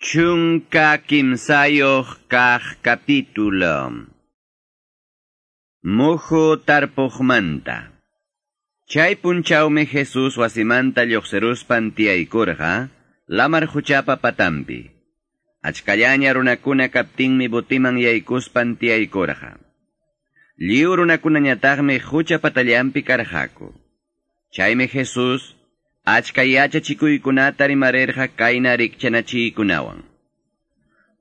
13 kaq capítulo. Muhu tarpuqmanta. Chay punchawmi Jesús wasimanta lluqsiruspan tiyaykurqa lamar quchapa patampi. Achkallaña runakuna kaptinmi botiman yaykuspan tiyaykurqa. Lliw runakunañataqmi qucha patallanpi karqaku. Chaymi Jesús achka yachachikuykunata rimarirqa kayna rikchanachiykunawan.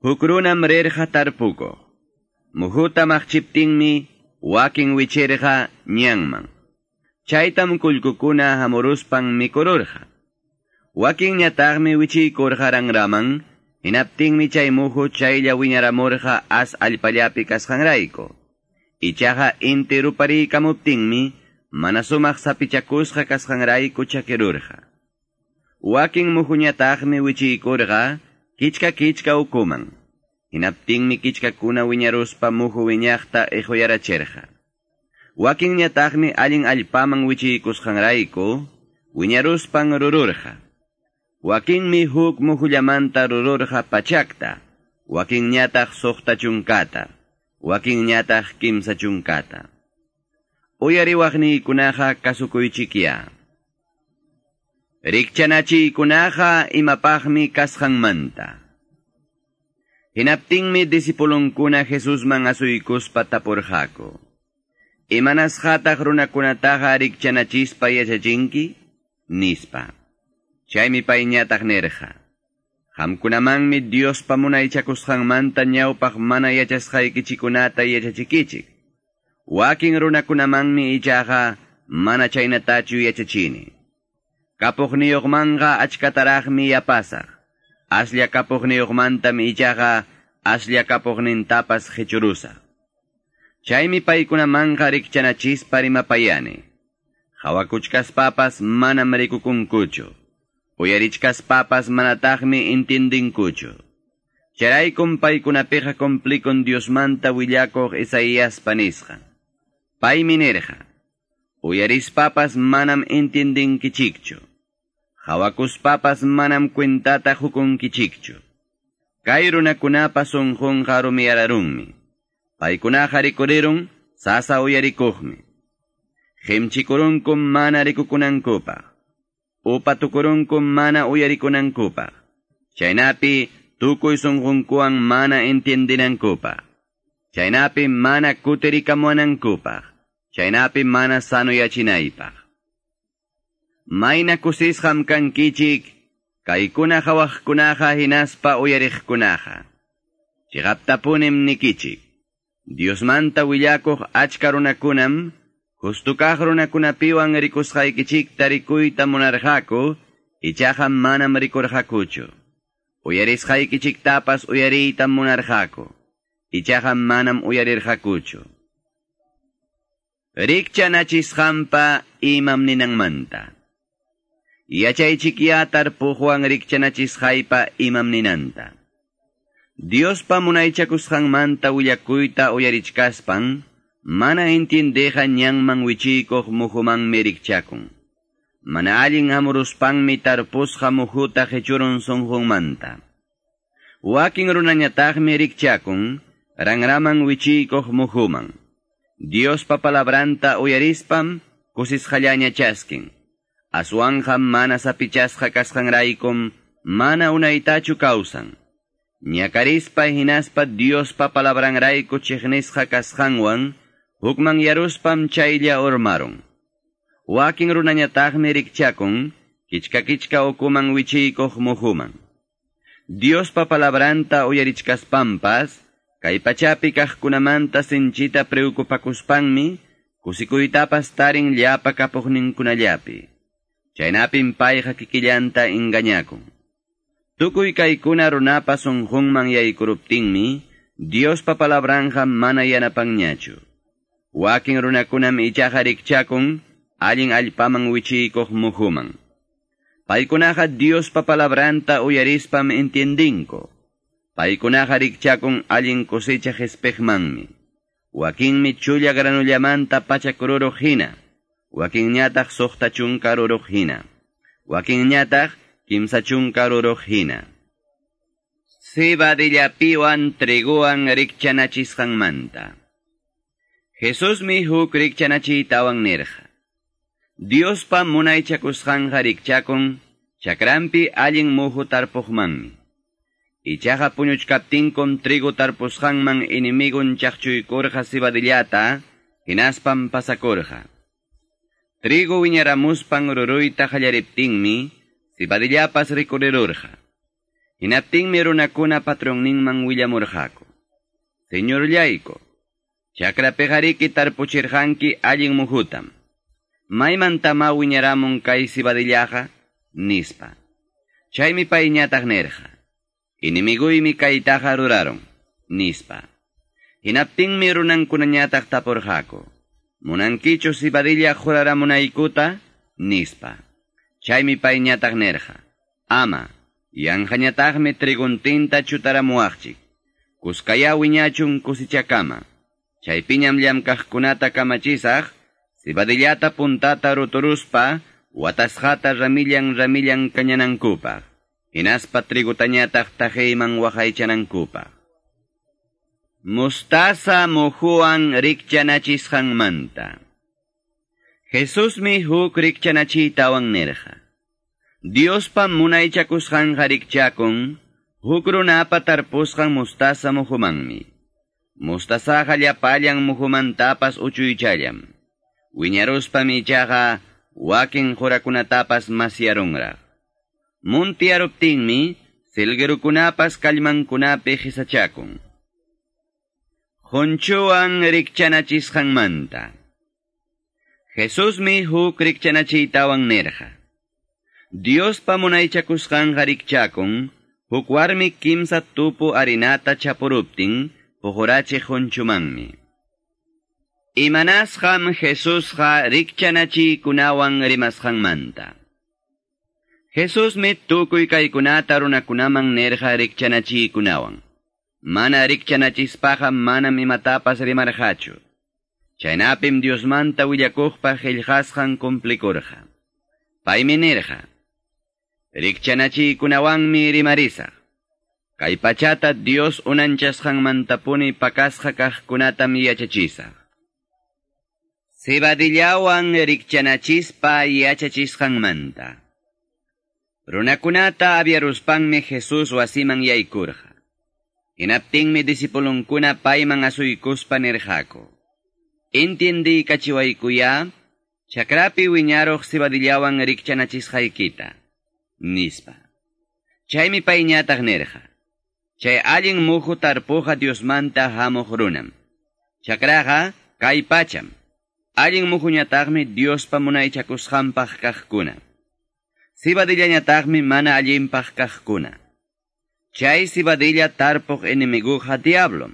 Huk runam rirqa tarpukuq. Muhuta maqchiptinmi wakin wichirqa ñanman. Chaytam kullkukuna hamuruspan mikururqa. Wakinñataqmi wichiykurqa ranraman, hinaptinmi chay muhu chaylla wiñaramurqa as allpallapi kasqanrayku. Ichaqa inti rupariykamuptinmi mana sumaq sapichakusqa kasqanrayku chakirurqa. Wakin muhuñataqmi wichiykurqa kichka kichka ukuman. Hinaptinmi kichkakuna wiñaruspa muhu wiñaqta iquyarachirqa. Wakinñataqmi allin allpaman wichiykusqanrayku wiñaruspan rururqa. Wakinmi huk muhullamanta rururqa pachakta, wakinñataq 60, wakinñataq 30. Uyariwaqniykunaqa kasukuychikya. Rikchanachiykunaqa imapaqmi kasqanmanta. Hinaptinmi disipulunkuna Jesusman asuykuspa tapurqaku. Imanasqataq runakunataqa rikchanachispa yachachinki? Nispa. Chaymi payñataq nirqa. Qamkunamanmi Diospa munaychakusqanmanta ñawpaq mana yachasqaykichikunata yachachikichik. Wakin runakunamanmi ichaqa mana chaynatachu yachachini. Kapuqniyuqmanqa achkataraqmi yapasaq. Aslla kapuqniyuqmantam ichaqa aslla kapuqnintapas qichurusaq. Chaymi paykunamanqa rikchanachispa rimapayani. Hawakuchkaspapas manam rikukunkuchu. Uyarichkaspapas manataqmi intindinkuchu. Chayraykum paykunapiqa cumplikun Diosmanta willakuq Isaíaspa nisqan. Paymi nirqa: Uyarispapas manam intindinkichikchu. Hawakuspapas manam cuentata hukunkichikchu. Kay runakunapa sunqunqa rumiyararunmi. Paykunaqa rikurirun sasa uyarikuqmi. Qimchikurunkum mana rikukunankupaq. Upatukurunkum mana uyarikunankupaq. Chaynapi tukuy sunqunkuwan mana entiendinankupaq. Chaynapi mana kutirikamuanankupaq. Chaynapi mana sanuyachinaypaq. Mayna kusisqam kankichik, kaykuna hawaqkunaqa hinaspa uyariqkunaqa. Chiqaptapunim nikichik. Diosmanta willakuq achka runakunam, justukaq runakunapiwan rikusqaykichikta rikuyta munarqaku, ichaqa manam rikurqakuchu. Uyarisqaykichiktapas uyariytam munarqaku, ichaqa manam uyarirqakuchu. Rikchanachisqanpa imam ninanmanta. Yachaychikya tarpuqwan rikchanachisqaypa imam ninanta. Diospa munaychakusqanmanta willakuyta uyarichkaspan, mana entiendeqa ñanman wichiykuq muhumanmi rikchakun. Mana allin hamuruspanmi tarpusqa muhuta qichurun sunqunmanta. Wakin runañataqmi rikchakun ranraman wichiykuq muhuman. Diospa palabranta uyarispam kusisqallaña chaskin. Aswanqa mana sapichasqa kasqanraykum mana unaytachu kawsan. Ñakarispa hinaspa Diospa palabranrayku chiqnisqa kasqanwan hukman yaruspam chaylla urmarun. Wakin runañataqmi rikchakun kichka kichka ukuman wichiykuq muhuman. Diospa palabranta uyarichkaspampas kay pachapi kaqkunamanta sinchita preocupakuspanmi kusikuytapas tarin llapa kapuqninkunallapi. Chaynapim payqa kikillanta engañakun. Tukuy kaykuna runapa sunqunman yaykuruptinmi Diospa palabranja mana yanapanñachu. Wakin runakunam ichaqa rikchakun allin allpaman wichiykuq muhuman. Paykunaqa Diospa palabranta uyarispam entiendinku. Paykunaqa rikchakun allin cosecha qhispiqmanmi. Wakinmi chulla granullamanta 100 ruruq hina. Wakinñataq 60 ruruq hina. Wakinñataq 30 ruruq hina. Cebadillapiwan triguwan rikchanachisqanmanta. Jesusmi huk rikchanachiytawan nirqa. Diospa munaychakusqanqa rikchakun chakranpi allin muhu tarpuqmanmi. Ichaqa puñuchkaptinkum trigo tarpusqanman enemigun chaqchuykurqa cebadillata, hinaspam pasakurqa. Trigo wiñaramuspan ruruyta qallariptinmi, cebadillapas rikurirurqa. Hinaptinmi runakuna patronninman willamurqaku. Señorllayku, chakrapiqariki tarpuchirqanki allin muhutam. Maymantama wiñaramun kay cebadillaqa, nispa. Chaymi payñataq nirqa. Enemiguymi kaytaqa ruraron, nispa. Hinaptinmi runankunañataq tapurqaku. Munankichu cebadilla quraramunaykuta, nispa. Chaymi payñataq nirqa. Ama, yanqañataqmi triguntinta chutaramuwaqchik. Kuskaya wiñachun kusichakama. Chaypiñam llamkaqkunata kamachisaq, cebadillata puntata ruturuspa, watasqata ramillan ramillan kañanankupaq. Hinaspa trigutañataq taqeyman waqaychanankupaq. Mostaza muhuwan rikchanachisqanmanta. Jesusmi huk rikchanachiytawan nirqa. Diospa munaychakusqanqa rikchakun, huk runapa tarpusqan mostaza muhumanmi. Mostazaqa llapallan muhumantapas uchuychallam. Wiñaruspam ichaqa wakin qurakunatapas masyarunraq. Muntiyaruptinmi, silguerukunapas kallmankunapi qisachakun. Qunchuwan rikchanachisqanmanta. Jesusmi huk rikchanachiytawan nirqa. Diospa munaychakusqanqa rikchakun, huk warmi kimsa tupu harinata chapuruptin, puqurachiq qunchumanmi. Imanasqam Jesusqa rikchanachiykunawan rimasqanmanta. Jesusmi tukuy kaykunata runakunaman nirqa rikchanachiykunawan. Mana rikchanachispaqa manam imatapas rimarqachu. Chaynapim Diosmanta willakuqpa qillqasqan cumplikurqa. Paymi nirqa: Rikchanachiykunawanmi rimarisaq. Kay pachata Dios unanchasqanmantapuni pakasqa kaqkunatam yachachisaq. Cebadillawan rikchanachispa yachachisqanmanta. Runakunata aviaruspanmi Jesús wasiman yaykurqa. Hinaptinmi disipulunkuna payman asuykuspa nirqaku. Entiendiykachiwaykuya, chakrapi wiñaruq cebadillawan rikchanachisqaykita, nispa. Chaymi payñataq nirqa. Chay allin muhu tarpuqa Diosmanta hamuq runam. Chakraqa kay pacham. Allin muhuñataqmi Diospa munaychakusqanpaq kaqkuna. Cebadillañataqmi mana allinpaq kaqkuna. Chay cebadilla tarpuq enemiguqa diablom.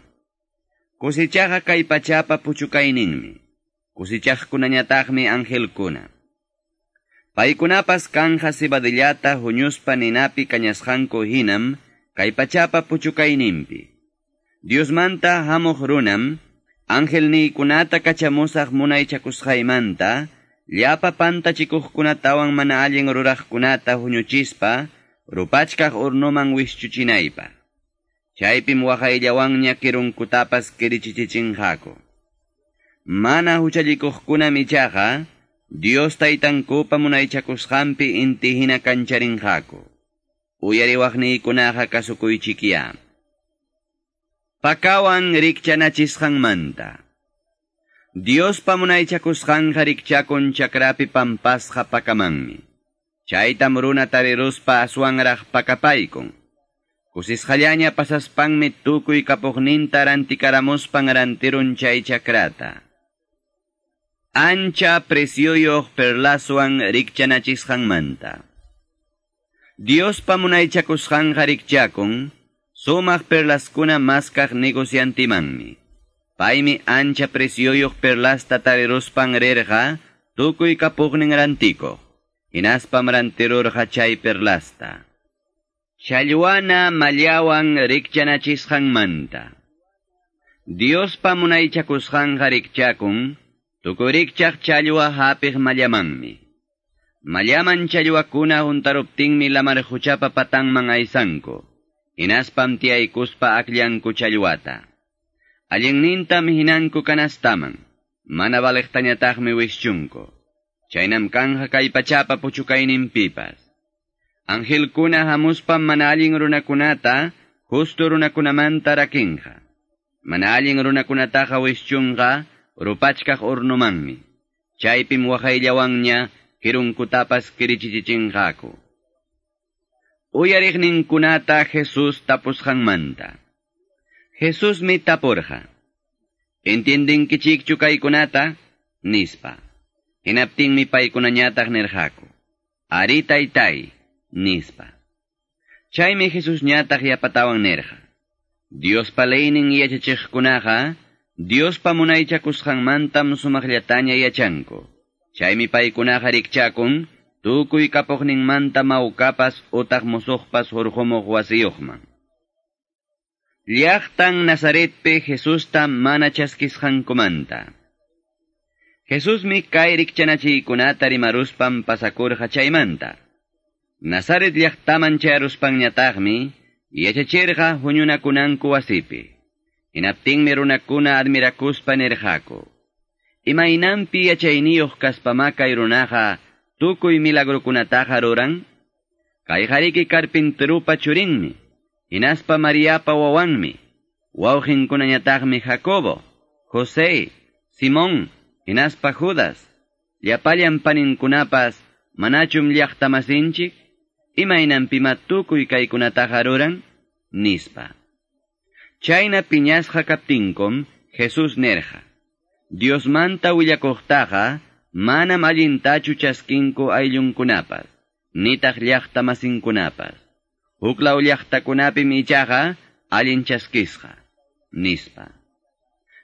Kusichaqa kay pachapa puchukayninmi. Kusichaqkunañataqmi angelkuna. Paykunapas kanja cebadillata huñuspa ninapi kañasqanku hinam kay pachapa puchukayninpi. Diosmanta hamuq runam, angelniykunata kachamusaq munaychakusqaymanta, llapa pantachikuqkunatawan mana allin ruraqkunata huñuchispa, rupachkaq urnuman wischuchinaypaq. Chaypim waqayllawanña kirunkutapas kirichichichinqaku. Mana huchallikuqkunam ichaqa, Dios taytankupa munaychakusqanpi inti hina kancharinqaku. Uyariwaqniykunaqa kasukuychikya. Pakawan rikchanachisqanmanta. Diospa munaychakusqanqa rikchakun chakrapi pampasqa pakamanmi. Chaytam runa tariruspa aswanraq pakapaykun. Kusisqallaña pasaspanmi tukuy kapuqninta rantikaramuspan rantirun chay chakrata. Ancha precioyuq perlaswan rikchanachisqanmanta. Diospa munaychakusqanqa rikchakun, sumaq perlaskuna maskaq negociantimanmi. Paymi ancha precioyuq perlasta tariruspan rirqa, tukuy kapuqnin rantikuq. Hinaspam rantirurqa chay perlasta. Challwana mallawan rikchanachisqanmanta. Diospa munaychakusqanqa rikchakun, tukurikchaq challwa hapiq mallamanmi. Mallaman challwakuna huntaruptinmi lamar huchapa patanman aysanku. Hinaspam tiyaykuspa akllanku challwata. Allinnintam hinanku kanastaman, mana valeqtañataqmi wischunku. Chaynam kanja kay pachapa puchukayninpipas. Angelkuna hamuspam mana allin runakunata, justo runakunamanta rakinqa. Mana allin runakunataqa wischunqa, rupachkaq urnumanmi. Chaypim waqayllawanña kirunkutapas kirichichichinqaku. Uyariqninkunata Jesús tapusqanmanta. Jesusmi tapurqa. Entiendinkichikchu kaykunata? Nispa. Hinaptinmi paykunañataq nirqaku. Ari taytay, nispa. Chaymi Jesusñataq yapatawan nirqa. Diospa leynin yachachiqkunaqa, Diospa munaychakusqanmantam sumaqllataña yachanku. Chaymi paykunaqa rikchakun, tukuy kapuqninmanta mawkapas utaq musuqpas hurqumuq wasiyuqman. Llaqtan Nazaretpi Jesusta mana chaskisqankumanta. Jesusmi kay rikchanachiykunata rimaruspan pasakurqa chaymanta. Nazaret llaqtaman chayaruspanñataqmi yachachirqa huñunakunanku wasipi. Hinaptinmi runakuna admirakuspa nirqaku. Imaynanpi yachayniyuq kaspama kay runaqa tukuy milagrukunataqa ruran? Kayqariki carpinterupa churinmi, hinaspa Mariapa wawanmi, wawqinkunañataqmi Jacobo, José, Simón, hinaspa Judas, llapallan paninkunapas manachum llaqtamasinchik, imaynanpima tukuy kaykunataqa ruran? Nispa. Chayna piñasqa kaptinkum Jesús nirqa. Diosmanta willakuqtaqa manam allintachu chaskinku ayllunkunapas, nitaq llaqtamasinkunapas. Huklaw llaqtakunapim ichaqa allin chaskisqa, nispa.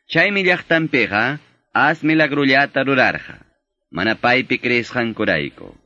Chaymi llaqtanpiqa as milagrullata rurarqa, mana paypi creesqankurayku.